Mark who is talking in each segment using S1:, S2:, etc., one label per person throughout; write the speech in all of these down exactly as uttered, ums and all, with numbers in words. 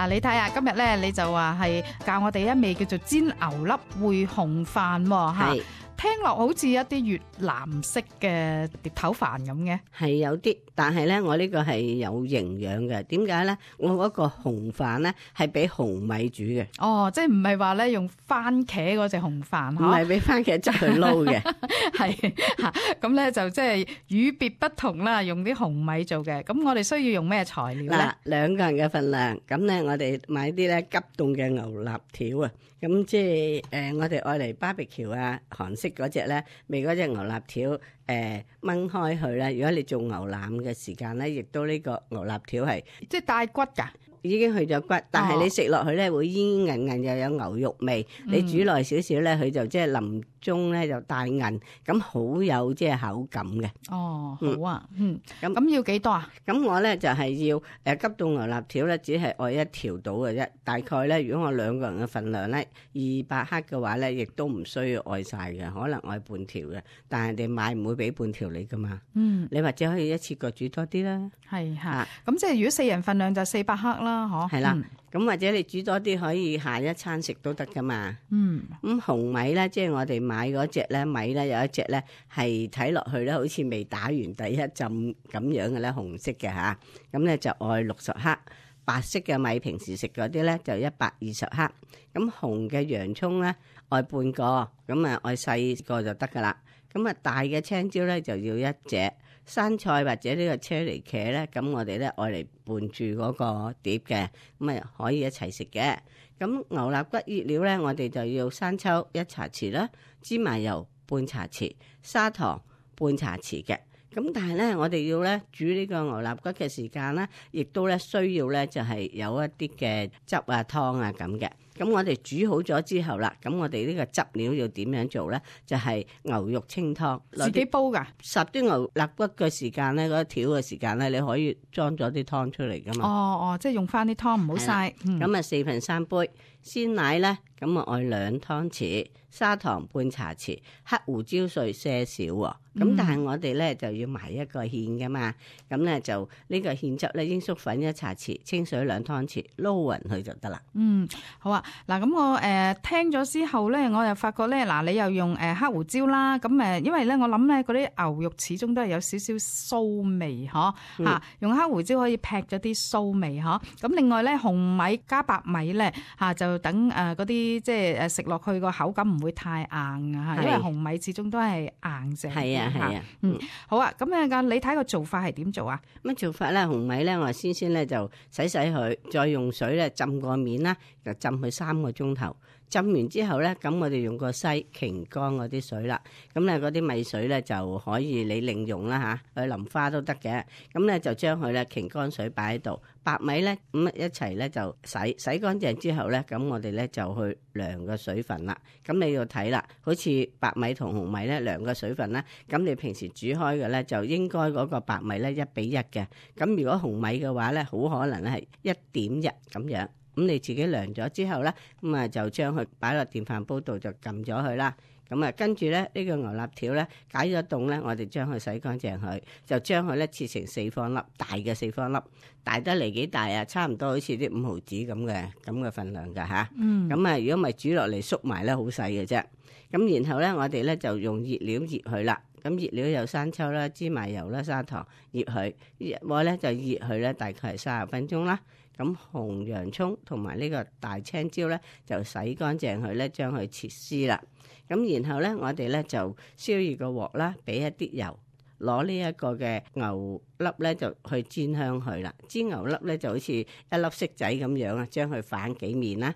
S1: 嗱，你睇下今日咧，你就話係教我哋一味叫做煎牛粒燴紅飯喎，嚇。聽落好似一啲越南式嘅碟頭飯咁嘅，
S2: 係有啲，但係咧我呢個係有營養嘅。點解咧？我嗰個紅飯咧係俾紅米煮嘅。
S1: 哦，即係唔係話咧用番茄嗰隻紅飯，
S2: 唔係俾番茄汁去撈嘅。
S1: 係嚇，咁咧就即係與別不同啦，用啲紅米做嘅。咁我哋需要用咩材料咧？
S2: 嗱，兩個人嘅份量，咁咧我哋買啲咧急凍嘅牛肋條啊。咁即係誒、呃，我哋愛嚟 barbecue 啊，韓式嗰隻咧，未嗰隻牛肋條誒掹開佢咧。如果你做牛腩嘅時間咧，亦都呢個牛肋條係
S1: 即係帶骨㗎。
S2: 已經去咗骨，但係你食落去咧會煙煙韌韌，又有牛肉味。嗯、你煮耐少少咧，佢就即係臨中咧就帶韌，咁好有即係口感嘅。
S1: 哦，好啊，嗯，咁咁、
S2: 嗯、
S1: 要幾多啊？
S2: 咁我咧就係、是、要誒、呃、急凍牛肋條咧，只係愛一條到嘅啫。大概咧，如果我兩個人嘅份量咧，二百克嘅話咧，亦都唔需要愛晒嘅，可能愛半條嘅。但係人哋買唔會俾半條你噶嘛。嗯，你或者可以一次過煮多啲啦。係嚇，咁、
S1: 啊、即係如果四人份量就四百克啦。
S2: 係啦，咁、嗯、或者你煮多啲可以下一餐食都得噶嘛。嗯，咁紅米咧，即係我哋買嗰隻咧米咧，有一隻咧係睇落去咧，好似未打完第一浸咁樣嘅咧，紅色嘅吓，咁咧就愛六十克。白色嘅米平時食嗰啲咧就一百二十克。咁紅嘅洋葱咧愛半個，咁啊愛細個就得噶啦。咁啊大嘅青椒咧就要一隻。生菜或者呢個車厘茄咧，咁我哋咧愛嚟拌住嗰個碟嘅，咁啊可以一齊食嘅。咁牛肋骨醃料咧，我哋就要生抽一茶匙啦，芝麻油半茶匙，砂糖半茶匙嘅。咁但係咧，我哋要咧煮呢個牛肋骨嘅時間咧，亦都咧需要咧就係有一啲嘅汁啊湯啊咁嘅。咁我哋煮好咗之後啦，咁我哋呢個汁料要點樣做咧？就係、是、牛肉清湯，
S1: 自己煲噶。
S2: 十啲牛肋骨嘅時間咧，嗰條嘅時間咧，你可以裝咗啲湯出嚟噶嘛。哦
S1: 哦，即係用翻啲湯唔好嘥。
S2: 咁啊四分三杯鮮奶咧，咁啊愛兩湯匙，砂糖半茶匙，黑胡椒碎些少喎。咁、嗯、但係我哋咧就要埋一個芡噶嘛，咁咧就呢個芡汁咧，鷹粟粉一茶匙，清水兩湯匙，撈勻佢就得啦。
S1: 嗯，好啊。嗱，咁我誒、呃、聽咗之後咧，我又發覺咧，嗱，你又用誒、呃、黑胡椒啦，咁誒，因為咧我諗咧嗰啲牛肉始終都係有少少臊味，嗬、嗯，嚇、啊，用黑胡椒可以劈咗啲臊味，嗬。咁另外咧，紅米加白米咧，嚇、啊、就等誒嗰啲即係誒食落去個口感唔會太硬啊，因為紅米始終都係硬淨。係啊係啊，嗯，好啊。咁啊，你睇個做法係點做啊？
S2: 咁做法咧，紅米咧，我先先咧就洗洗佢，再用水咧浸個面啦，就浸佢三個鐘頭。浸完之後咧，咁我哋用個篩擎乾嗰啲水啦。咁咧嗰啲米水咧就可以你另用啦嚇，去淋花都得嘅。咁咧就將佢咧擎乾水擺喺度，白米咧咁一齊咧就洗洗乾淨之後咧，咁我哋咧就去量個水分啦。咁你要睇啦，好似白米同紅米咧量個水分咧，咁你平時煮開嘅咧就應該嗰個白米咧一比一嘅。咁如果紅米嘅話咧，好可能咧係一點一咁樣。咁你自己量咗之後咧，咁啊就將佢擺落電飯煲度就撳咗佢啦。咁啊跟住咧呢個牛肋條咧解咗凍咧，我哋將佢洗乾淨佢，就將佢咧切成四方粒，大嘅四方粒，大得嚟幾大啊？差唔多好似啲五毫子咁嘅咁嘅份量噶吓。嗯。咁啊，如果咪煮落嚟縮埋咧，好細嘅啫。咁然後咧，我哋咧就用熱料熱佢啦。咁熱料有生抽啦、芝麻油啦、砂糖，熱佢。我咧就熱佢咧，大概係三十分鐘啦。咁紅洋葱同埋呢個大青椒咧，就洗乾淨佢咧，將佢切絲啦。咁然後咧，我哋咧就燒熱個鑊啦，俾一啲油，攞呢一個嘅牛粒咧就去煎香佢啦。煎牛粒咧就好似一粒骰仔咁樣啊，將佢反幾面啦，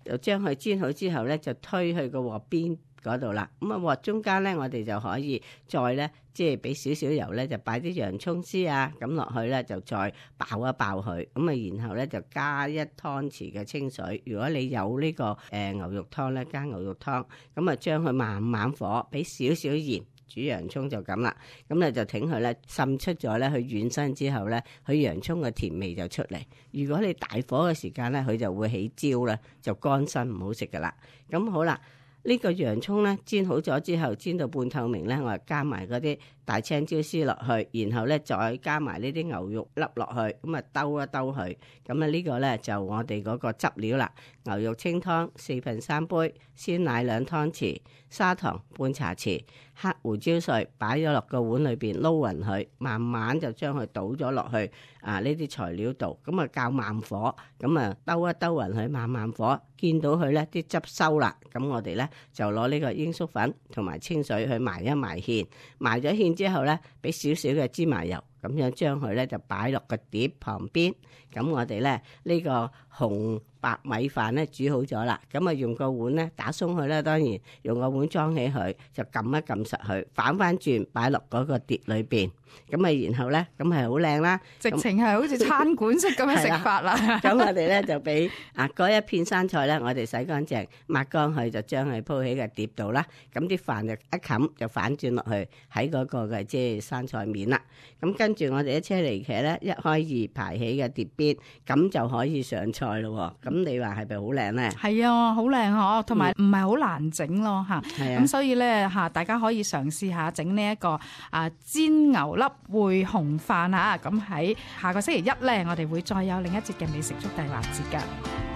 S2: 就將佢煎好之後咧，就推去個鑊邊嗰度啦。咁啊鑊中間咧，我哋就可以再咧，即係俾少少油咧，就擺啲洋葱絲啊咁落去咧，就再爆一爆佢。咁啊，然後咧就加一湯匙嘅清水。如果你有呢、這個誒、呃、牛肉湯咧，加牛肉湯。咁啊，將佢慢慢火，俾少少鹽，煮洋葱就咁啦。咁咧就挺佢咧滲出咗咧，佢軟身之後咧，佢洋葱嘅甜味就出嚟。如果你大火嘅時間咧，佢就會起焦啦，就乾身唔好食噶啦。咁好啦。呢個洋葱咧煎好咗之後，煎到半透明咧，我就加埋嗰啲大青椒絲落去，然後咧再加埋呢啲牛肉粒落去，咁啊兜一兜佢。咁啊呢個咧就我哋嗰個汁料啦。牛肉清湯四分三杯，鮮奶兩湯匙，砂糖半茶匙，黑胡椒碎擺咗落個碗裏邊撈勻佢，慢慢就將佢倒咗落去啊呢啲材料度，咁啊較慢火，咁啊兜一兜勻佢，慢慢火，見到佢咧啲汁收啦，咁我哋咧就攞呢個鷹粟粉同埋清水去埋一埋芡，埋咗芡之後咧，俾少少嘅芝麻油，咁樣將佢咧就擺落個碟旁邊，咁我哋咧呢個紅白米飯咧煮好咗啦，咁啊用個碗咧打鬆佢啦，當然用個碗裝起佢，就撳一撳實佢，反翻轉擺落嗰個碟裏邊，咁啊然後咧咁係好靚啦，
S1: 直情係好似餐館式咁樣食法啦。
S2: 咁我哋咧就俾啊嗰一片生菜咧，我哋洗乾淨抹乾佢，就將佢鋪喺個碟度啦。咁啲飯就一冚就反轉落去喺嗰個嘅即係生菜面啦。咁跟住我哋一車厘茄咧，一開二排起嘅碟邊，咁就可以上菜咯。咁你話係咪好靚咧？係
S1: 啊，好靚嗬，同埋唔係好難整咯嚇。咁、嗯、所以咧嚇，大家可以嘗試下整呢一個啊煎牛粒燴紅飯啊。咁喺下個星期一咧，我哋會再有另一節嘅美食速遞環節㗎。